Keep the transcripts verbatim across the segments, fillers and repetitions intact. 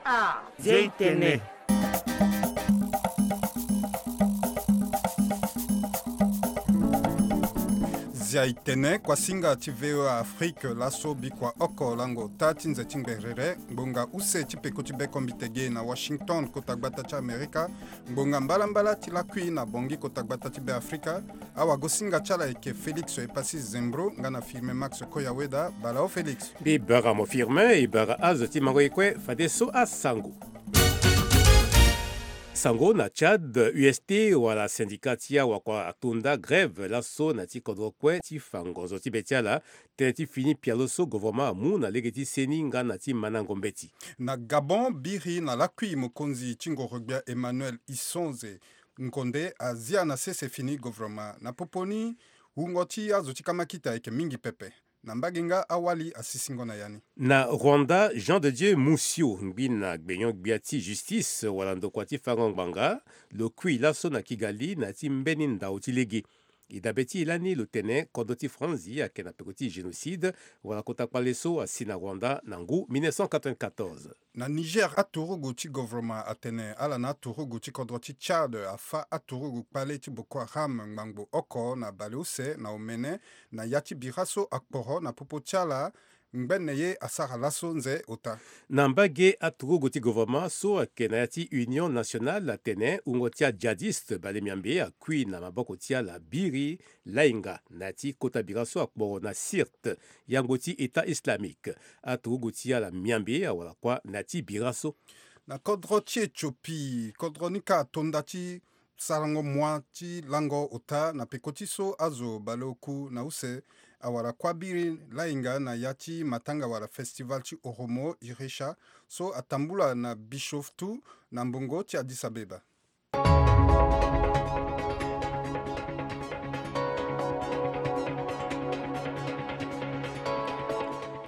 Ah, Zia i tene. Zia i tene, kuasinga ti V O A Afrique, laso bikua oko lango ota ti nze ti ngberere, ngbonga use ti peko ti bekombite ge na Washington, kota gbata ti Amerika, ngbonga mbalambala ti lakui na Bangui, kota gbata ti Beafrika. Awagosinga ti ala ayeke Félix Epassi Zembro, nga na Firmin Max Koyaweda. Bala o Félix. Mbi bara mo Firmin, e bara azo ti mango ye kue fadeso asango. Sango na Tchad, U S T wala syndicat ti awakua atonda grève laso na ti kodro kue ti fa ngonzo ti be ti ala, tënë ti fini pialo so gouvernement amu na lege ti seni nga na ti mandango mbeti. Na Gabon, biri na lakui mokonzi ti ngorogbia Emmanuel Isonze Nkonde azia na sese fini gouvernement. Na popo ni, wungo ti azo ti kamakita ayeke mingi pepe. Na mbage nga awali asisingo na ya ni. Na Rwanda, Jean de Dieu Musio, ngbi na gbenyo-gbia ti justice wala ndokua ti fango ngbanga, lo kui laso na Kigali na ya ti mbeni ndau ti lege. E dabe ti e lani lo tene kodro ti Franzi ayeke na peko ti génocide wala kota kpale so asi na Rwanda na ngu mille neuf cent quatre-vingt-quatorze. Na Niger, aturugu ti gouvernement atene ala na aturugu ti kodro ti Tchad afâ aturugu kpale ti Boko Haram ngbangbo oko na baleuse na omene na ya ti bira so akporo na popo ti ala. Ngbene ye asara laso nze ota. Na mbage, aturugu ti gouvernement so ayeke na ya ti Union Nationale atene wungo ti ajihadiste bale miambe akui na maboko ti ala biri lainga na ya ti kota bira so akporo na Sirte, yango ti État islamique. Aturugu ti ala miambe awara kuâ na ya ti bira so. Na kodro ti Éthiopie, kodro ni kâ atonda ti sarango mua ti lango ota na peko ti so azo baleoku na use awara kuâ biri lainga na ya ti matanga wala festival ti Oromo Iresha so atambula na Bishoftu na mbongo ti Addis Abeba.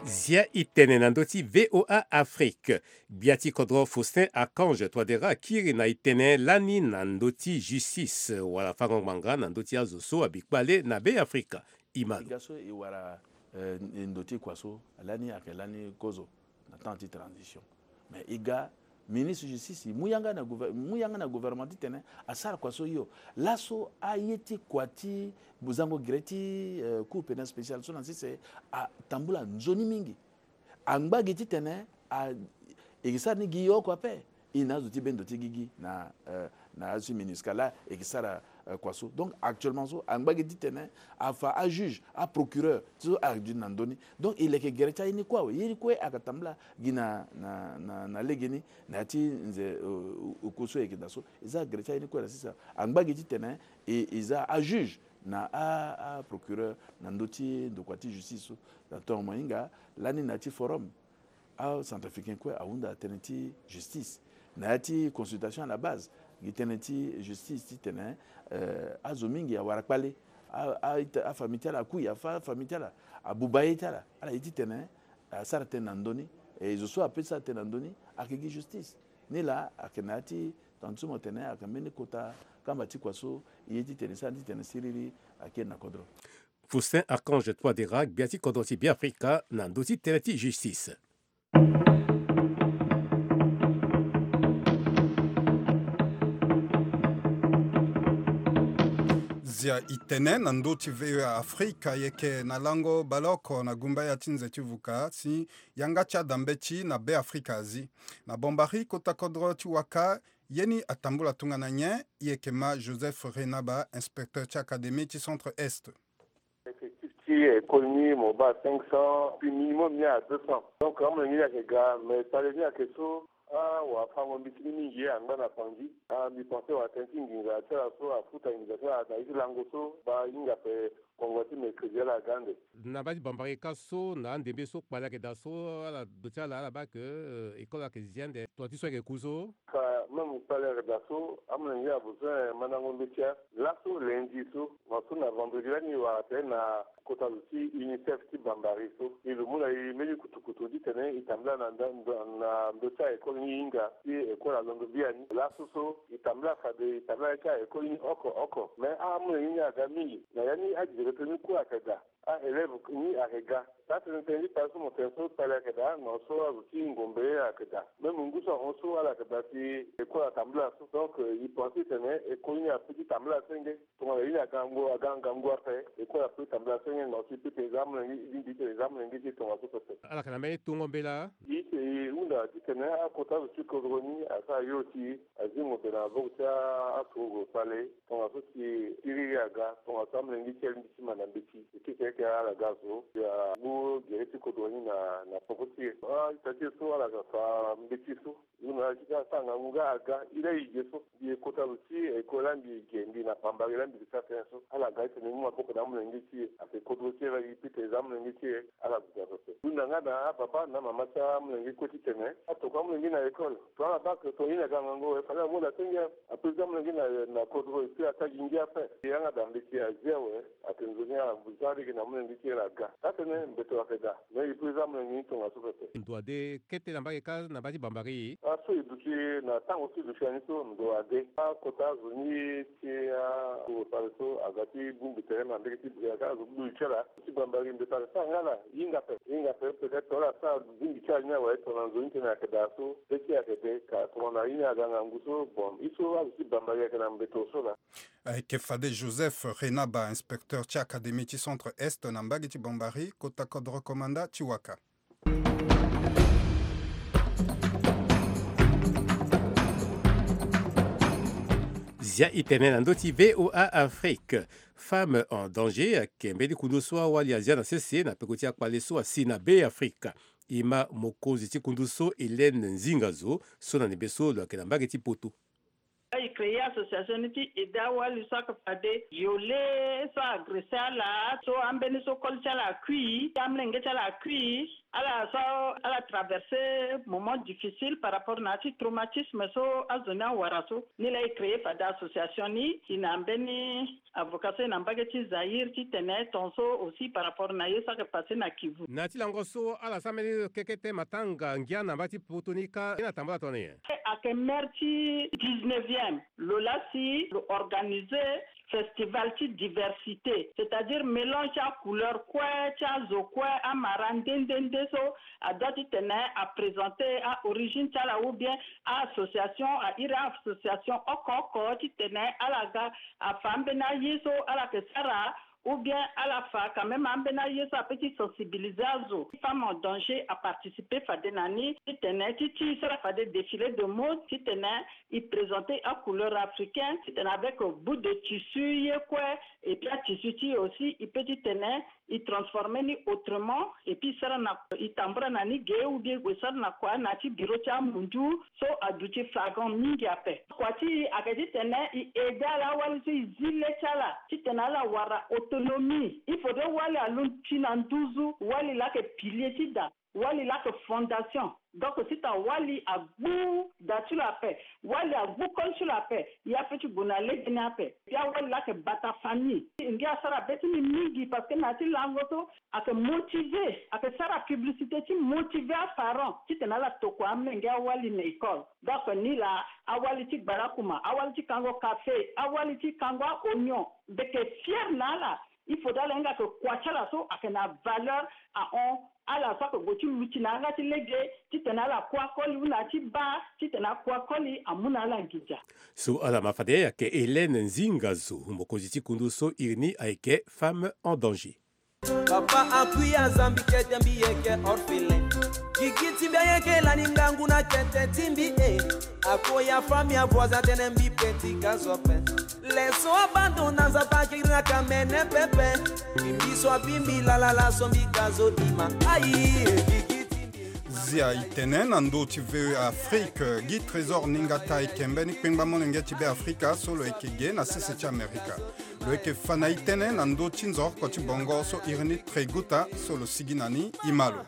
Zia i tene na ndö ti V O A Afrique. Gbia ti kodro Faustin Archange Touadéra akiri na e tene lani na ndö ti justice wala fango ngbanga na ndö ti azo so abi kpale na Beafrika. E ma lo. E ga so e wara, eh, ndo ti kua so lani ayeke lani kozo na temps ti transition. Mais e ga ministre justice e mu yanga na gouver-, mu yanga na gouvernement titene asara kua so hio. Laso aye ti kua ti zango gere ti, eh, Cour pénale spéciale so na sese atambula nzoni mingi. Angba gi titene a, e ke sara ni gi oko ape. E na azo ti bendo ti gigi na, eh, na azo ti MINUSCA laa e yeke sara, eh, kua so. Donc actuellement so angba gi titene afa ajuge, aprocureur ti so ayeke duti na ndö ni. Donc e leke gere ti aye ni kue awe. Ye ni kue ayeke tambula gi na, na, na, na legeni na ya ti nze, eh, oku so e yeke daa so. E za gere ti aye ni kue na sese. Angba gi titene e, e za ajuge na a, aprocureur na ndö ti ndokua ti justice so. Na tonga mo hinga lani na ya ti forum, acentrafricain kue ahunda tënë ti justice. Na ya ti consultation à la base, gi tënë ti justice titene, eh, azo mingi awara kpale. A, a, afamille ti ala akui, afa afamille ti ala, abuba ye ti ala. Ala ye titene asara tënë na ndö ni. E zo so ape ti sara tënë na ndö ni ayeke gi justice. Nilaa ayeke na ya ti tongana ti so mo tene ayeke mbeni kota kamba ti kua so e ye titene e sara titene siriri akiri na kodro. Faustin Archange Touadéra, gbia ti kodro ti Beafrika na ndö ti tënë ti justice. Zia e tene na ndö ti V O A Afrika, e yeke na lango baleoko na gumbaya ti nze ti vuka si yanga ti ada mbeti na Beafrika azi. Na Bambari, kota kodro ti Waka, ye ni atambula tongana nyen? E yeke ma Joseph Renaba, inspecteur ti académie ti Centre Est. Effectif ti école ni mo baa cinq cents, puis minimum ni à deux cents. Donc amolenge ni ayeke ga, mais kpale ni ayeke so, awafango-mbeti ni mingi angba na Bangui. Ah, mbi pense wala tënë ti nginza ti ala so afuta nginza ti ala na ye ti lango so, baa hinga ape kongo ti mercredi ala aga ande. Na baa ti Bambari kâ so, na andembe so kpale ayeke daa so, ala duti ala, ala baa ke, euh, école ayeke zi ande, tonga ti so ayeke ku so. Fa même kpale ayeke daa so, amolenge ni abesoin mandango mbeti. Laso lundi so, mo so na vendredi lani e wara tene na kota zo ti UNICEF ti Bambari so, e lo mu na e mbeni kutukutu titene e tambula na nda-, nda-, na ndö ti a-école ni hinga, ti école alondo biani. Laso so e tambula fade e tambula ti a-école ni oko oko. Mais amolenge ni aga mingi. Na ya ni adirecteur ni kue ayeke daa. A-élève ni ayeke ga. Taa tene tene ti pari so mo tene so pari ayeke daa, na so azo ti ngombe ayeke daa. Même ngu so ahon so ala yeke daa si école atambula so. Donc, euh, e pense titene école ni apeut ti tambula senge. Tongana ye ni aga ngangu, aga ngangu ape, école apeut tambula senge, na so e peut tene e za amolenge, e lingbi titene e za amolenge ti e tongaso pepe. Ala yeke na mbeni tongo mbela. E tene e hunda titene akota azo ti kodro ni asara yo si azi ngombe na maboko ti a, aturugu fale. Tongaso si kiriri aga, tongaso amolenge ti e alingbi ti ma na mbeti. E keke eke ala ga so, ya ngu gere ti kodro ni na, na poko ti e. Ah, ita ti e so ala ga fa mbeti so. Ngu na ala ti ga asara ngangu nga aga, ila e ge so. Mbi e kota lo ti école, mbi e ge, mbi na pambari la mbi ke sara tënë so. Ala ga titene e mu maboko na amolenge ti e. Ayeke kodro ti e la, e peut tene e za amolenge ti e. Ala guda pepe. Hunda nga na ababa na amama ti amolenge kue titene atokua amolenge na école. Tongana bac, tongana ye ni aga ngangu awe, fade amu daa senge. Apeut za amolenge na, na kodro, e peut asara gi ngia ape. Yanga daa mbeti azi awe. Ayeke nzoni ala za lege na amolenge ti e la aga. Taa tene mbeto ayeke daa. Mais e peut za amolenge ni tongaso pepe. Ndo ade kete na mbage kâ na mbage ti Bambari. Aso e duti na tango so e duti na ni so ndo ade. Akota azo ni ti a, azo fade so aga ti bongbi tere na mbage ti Bria kâ azo bongbi ti ala. Ti Bambari mbeto ayeke sara nga ala hinga ape. Hinga ape, peut-être tongana ala sara bongbi ti ala ni awe, tongana nzoni tene ayeke daa so, be ti e ayeke de, ka tongana ye ni aga ngangu so, bon, e so azo ti Bambari ayeke na mbeto so laa. Ayeke fade Joseph Renaba, inspecteur ti académie ti Centre Est na mbage ti Bambari, kota kodro komanda ti waka. Zia e tene na ndö ti V O A Afrique. Femme en danger ayeke mbeni kundu so awali azia na sese na peko ti akpale so asi na Be Afrika. E ma mokonzi ti kundu so, Hélène Nzinga Zo, so na ndembe so lo yeke na mbage ti poto. E créer association ni ti aider awali so ayeke fade violé, so agressé ala, so ambeni so koli ti ala akui, amolenge ti ala akui, ala so ala traversé moment difficile par rapport na ya ti traumatisme so azo ni awara so. Ni laa e créer fade association ni, e na mbeni avocat so e na mbage ti Zaïre titene tongaso aussi par rapport na ye so ayeke passé na Kivu. Na ya ti lango so ala sara mbeni kekete matanga ngia na mbage ti poto ni kâ, ye ni atambula tongana nyen? Ayeke maire ti dix-neuvième, lo laa si lo organisé festival ti diversité, c'est-à-dire mélange ti acouleur kue, ti azo kue, amara nde nde nde so adoit titene aprésenté a-origine ti ala ou bien a-association, a-iri a-association oko oko titene ala ga afa ambeni aye so ala yeke sara, ou bien ala fa quand même ambeni aye so apeut ti sensibiliser azo. Femme en danger aparticiper fade na ni titene ti ti so ala fade défilé de mode titene e présenter acouleur africain titene avec bout de tissu ye kue, et puis atissu ti e aussi e peut titene e transformer ni autrement, et puis e sara na, e tambula na ni ge ou bien e gue sara na kua na ya ti bureau ti amundu so aduti flagrant mingi ape. Kua ti e ayeke titene e aider ala awali so e zi le ti ala titene ala wara autonomie. Il faudrait wali alondo ti na nduzu, wali laa ayeke pilier ti da. Wali laa ayeke fondation. Donc si ta wali agbu da ti lo ape, wali agbu koli ti lo ape, e apeut ti gue na lege ni ape. Puis awali laa ayeke bata famille. Ngia asara be ti ni mingi parce que na ya ti lango so ayeke motiver, ayeke sara publicité ti motiver aparent titene ala tokua amolenge awali na école. Donc ni laa awali ti gbarakuma, awali ti kango café, awali ti kango a-oignon, mbi yeke fier na ala. Il faudrait ala hinga ke kua ti ala so ayeke na valeur ahon. Ala so ayeke gue ti luti na yanga ti lege titene ala kue akoli ou na ya ti baa titene akue akoli amu na ala nginza. So ala ma fade ayeke Hélène Nzinga Zo, mokonzi ti kundu so iri ni ayeke Femme en danger. Papa akui aza mbi kete mbi yeke orphelin. Gigi ti mbi ayeke lani ngangu na kete ti mbi e. Akoya famille avoisin atene mbi petit ka zo ape. Leçon abandon na Nzapa akiri na kamene pepe. Mbi so abi mbi lala la so mbi ka zo dima. Ayi, gigi ti mbi. Zia e tene na ndö ti V O A Afrique, Guy Trésor Ningata ayeke mbeni kpengba molenge ti Be Afrika so lo yeke ge na sese ti Amerika. Lo yeke fa na e tënë na ndö ti nzoroko ti bongo so iri ni Treguta so lo sigi na ni, e ma lo.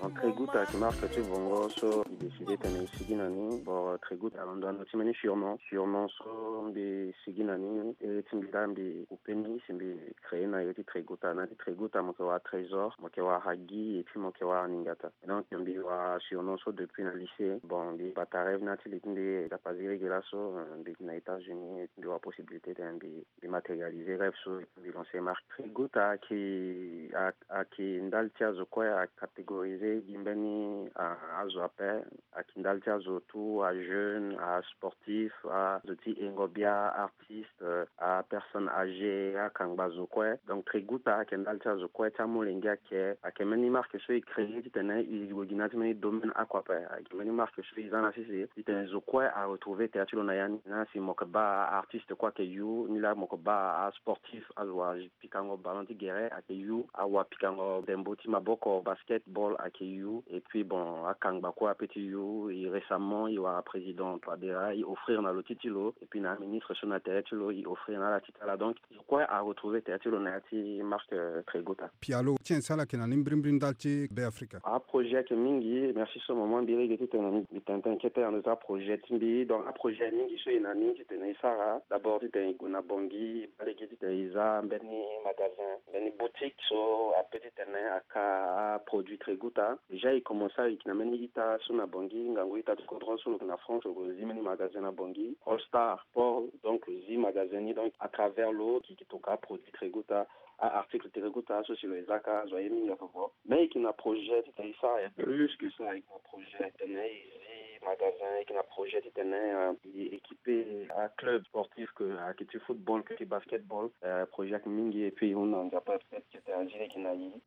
Bon, Tregout ayeke marque ti bongo so mbi décide titene mbi sigi na ni. Bon, Tregout alondo na ndo ti mbeni surnom. Surnom so mbi sigi na ni, ere ti mbi laa mbi coupe ni si mbi créé na ere ti Tregout. Na ere ti Tregout mo yeke wara Trésor, mo yeke wara Guy, et puis mo yeke wara Ningata. Donc mbi wara surnom so depuis na lycée. Bon, mbi bata rêve ni na ya ti li ti mbi, dapa ziri ge laso, euh, mbi gi na États-Unis, mbi wara possibilité titene mbi, mbi matérialiser rêve so, mbi lancer marque. Tregout ayeke, a, ayeke ndali ti azo kue, a catégoriser gi mbeni, a, azo ape. Ayeke ndali ti azo tout, ajeune, asportif, azo ti yengo bia, artiste, euh, apersonne âgée, akangba zo kue. Donc Tregout ayeke ndali ti azo kue, ti amolenge ayeke. Ayeke mbeni marque so e créé titene e gue gi na ya ti mbeni domaine oko ape. Ayeke mbeni marque so e za na sese titene zo kue a retrouver tere ti lo na ya ni. Na si mo yeke baa artiste kue ayeke yu, ni laa mo yeke baa asportif, azo wa pikango ballon ti gere ayeke yu, awa pikango ndembo ti maboko, basketball, ayeke yu. Et puis bon, akangba kue ape ti yu. E récemment e wara président Touadéra, e offrir na lo ti ti lo, et puis na aministre so na tere ti lo e offrir na ala ti ti ala. Donc zo kue a retrouver tere ti lo na ya ti marque, euh, Tregout. Pialo ti nyen so ala yeke na ni mbirimbiri ndali ti Beafrika? Aprojet ayeke mingi. Merci so moment mbi lege titene mbi tene tënë kete na ndo ti aprojet ti mbi. Donc aprojet mingi so e na ni titene e sara. D'abord titene e gue na Bangui, e baa lege titene e za mbeni magasin, mbeni boutique so ape titene aka aproduit Tregout. Déjà e commencé, e yeke na mbeni ita so na Bangui, ngangu ita ti kodro so lo yeke na France, lo zi mbeni magasin na Bangui, All Star Sport, donc lo zi magasin ni. Donc à travers lo e yeke toka aproduit Tregout, a-article Tregout so si lo e za ka, azo aye mingi oko. Mais e yeke na projet titene e sara ya plus que ça. E yeke na projet titene e zi magasin, e yeke na projet titene, euh, e équiper aclub sportif, que ayeke ti football, que ti basketball. Euh, projet ayeke mingi, et puis e hunda na Nzapa peut-être que titene azi lege na e.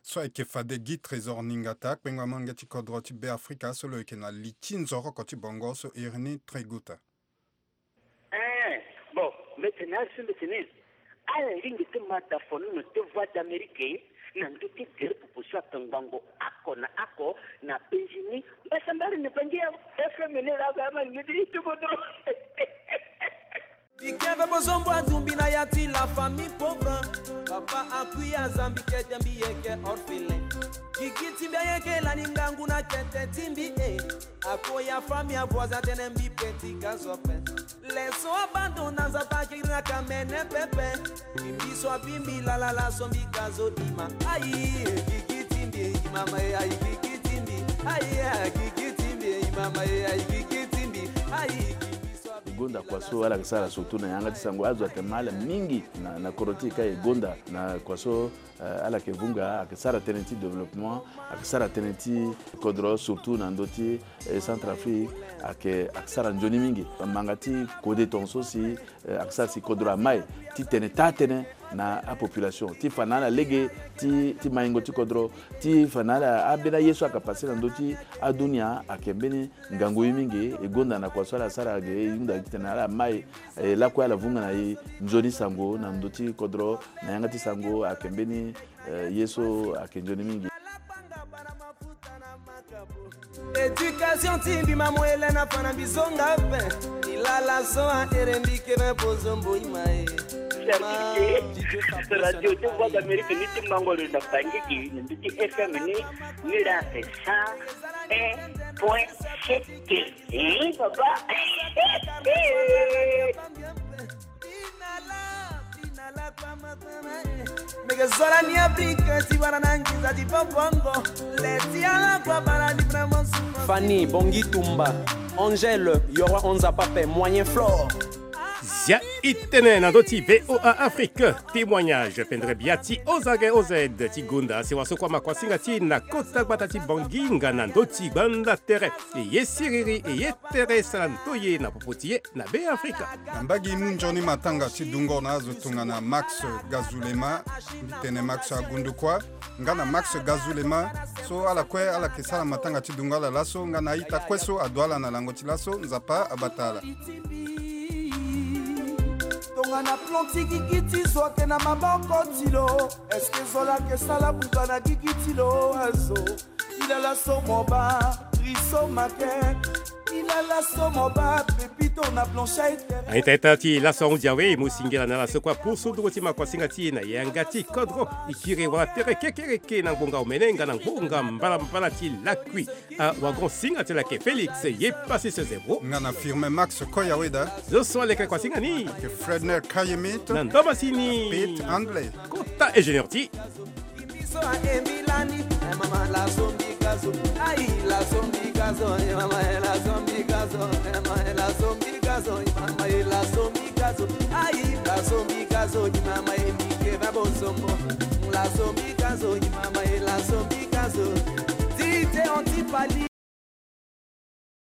So ayeke fade Guy Trésor Ningata, kpengba molenge ti kodro ti Beafrika so lo yeke na li ti nzoroko ti bongo so iri ni Tregout. Eh, bon, mbi tene ala so mbi tene ala lingbi ti ma da fo ni na ndo ti Voix d'Amérique na ndo ti gere popo so akangbango oko na oko na penzi ni. Mbasambara na Bangui awe, F M ni laa ama lingbi ti ti kodro. Mbi ke ve bozombo adumbi na ya ti la famille pauvre. Papa akui aza mbi kete mbi yeke orphelin. Gigi ti mbi ayeke lani ngangu na kete ti mbi e. Akoya famille avoisin atene mbi petit gazo ape. Leso abandon na Nzapa akiri na kamene pepe. Mbi so abi mbi lala laso mbi gazo dima. Ayi, Gigi ti mbi e, mama e, ayi, Gigi ti mbi. Ayi, ah, Gigi ti mbi e, mama e, ayi, Gigi ti mbi. Ayi, Gigi so abi mbi. E gonda kua so ala yeke sara surtout na yanga ti sango. Azo ayeke ma ala mingi na, na kodro ti e ka e gonda na kua so, eh, ala yeke vunga, ayeke sara tënë ti développement, ayeke sara tënë ti kodro surtout na ndö ti, eh, Centrafrique, ayeke, ayeke sara nzoni mingi. Manga ti kode tongaso si, eh, ayeke sara si kodro amai titene taa tënë na apopulation, ti fa na ala lege ti, ti maingo ti kodro, ti fa na ala ambeni aye so ayeke pase na ndö ti adunia, ayeke mbeni ngangu ye mingi. E gonda na kua so ala sara ge, e hunda titene ala mai, eh, lakue ala vunga na e nzoni sango na ndö ti kodro, na yanga ti sango ayeke mbeni, eh, ye so ayeke nzoni mingi. Éducation ti mbi ma mo ele na fa na mbi zonga ape. Mbi lala so ahere mbi ke me bozombo ima e. Radio ti Voix d'Amérique ni ti mango lo na Bangui, na ndö ti F M ni, ni laa ape cent un point sept. Eh, papa. Meke zo lani Afrique ti wara na nginza ti bongbongo. Le ti ala kua bara ni vraiment souffrance. Fanny, Bongi Tumba, Angèle, Yoro Onza Pape, Moyen Flore. Zia i tene na ndö ti V O A Afrique, témoignage pendere bia ti Ozage O Z ti gonda sewa so kua makuasinga ti e na kota gbata ti Bangui nga na ndö ti gbanda tere. E ye siriri, e ye tere sara ndoye na popo ti e na Beafrika. Na mbage e mu nzoni matanga ti dungo na azo tongana Max Gazulema, mbi tene Max Agundukua, nga na Max Gazulema, so ala kue ala yeke sara matanga ti dungo ala laso, nga na a-ita kue so adu ala na lango ti laso, Nzapa abata ala. Tongana plan ti gigi ti zo ayeke na maboko ti lo, est-ce que zo laa ayeke sara buba na gigi ti lo azo? Ti lala so mo baa, riso make. Ita ita ti laso ahunzi awe, e mu singila na laso kua pusu ndungo ti makuasinga ti e na yanga ti kodro, e kiri wala tere kekereke na ngbonga omene nga na ngbonga mbalambala ti lakui. Awagon singa ti lake Félix ye pasi se zero. Nga na Firmin Max Koya Weda. Zo so aleke kuasinga ni. Ake Fredner Kayemit. Na ndoma sini. Pete Handley. Kota ingénieur ti.